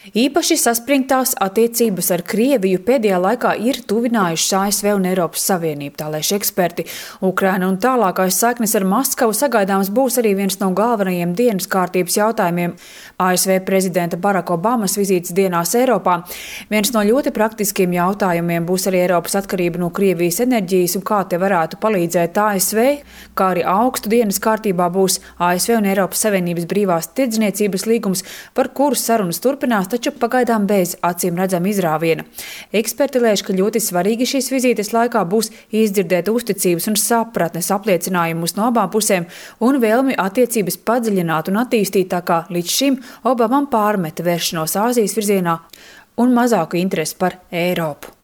Īpaši saspringtās attiecības ar Krieviju pēdējā laikā ir tuvinājušas ASV un Eiropas Savienību, tā lēš eksperti. Ukraina un tālākais saiknes ar Maskavu sagaidāms būs arī viens no galvenajiem dienas kārtības jautājumiem ASV prezidenta Baraka Obamas vizītes dienās Eiropā. Viens no ļoti praktiskiem jautājumiem būs arī Eiropas atkarība no Krievijas enerģijas un kā te varētu palīdzēt ASV, kā arī augstu dienas kārtībā būs ASV un Eiropas Savienības brīvās tirdzniecības līgums, par kuru sarunas turpinās, taču pagaidām bez acīm redzama izrāviena. Eksperti lēš, ka ļoti svarīgi šīs vizītes laikā būs izdzirdēt uzticības un sapratnes apliecinājumus no abām pusēm un vēlmi attiecības padziļināt un attīstīt, tā kā līdz šim Obamam pārmeta vēršanos Āzijas virzienā un mazāku interesi par Eiropu.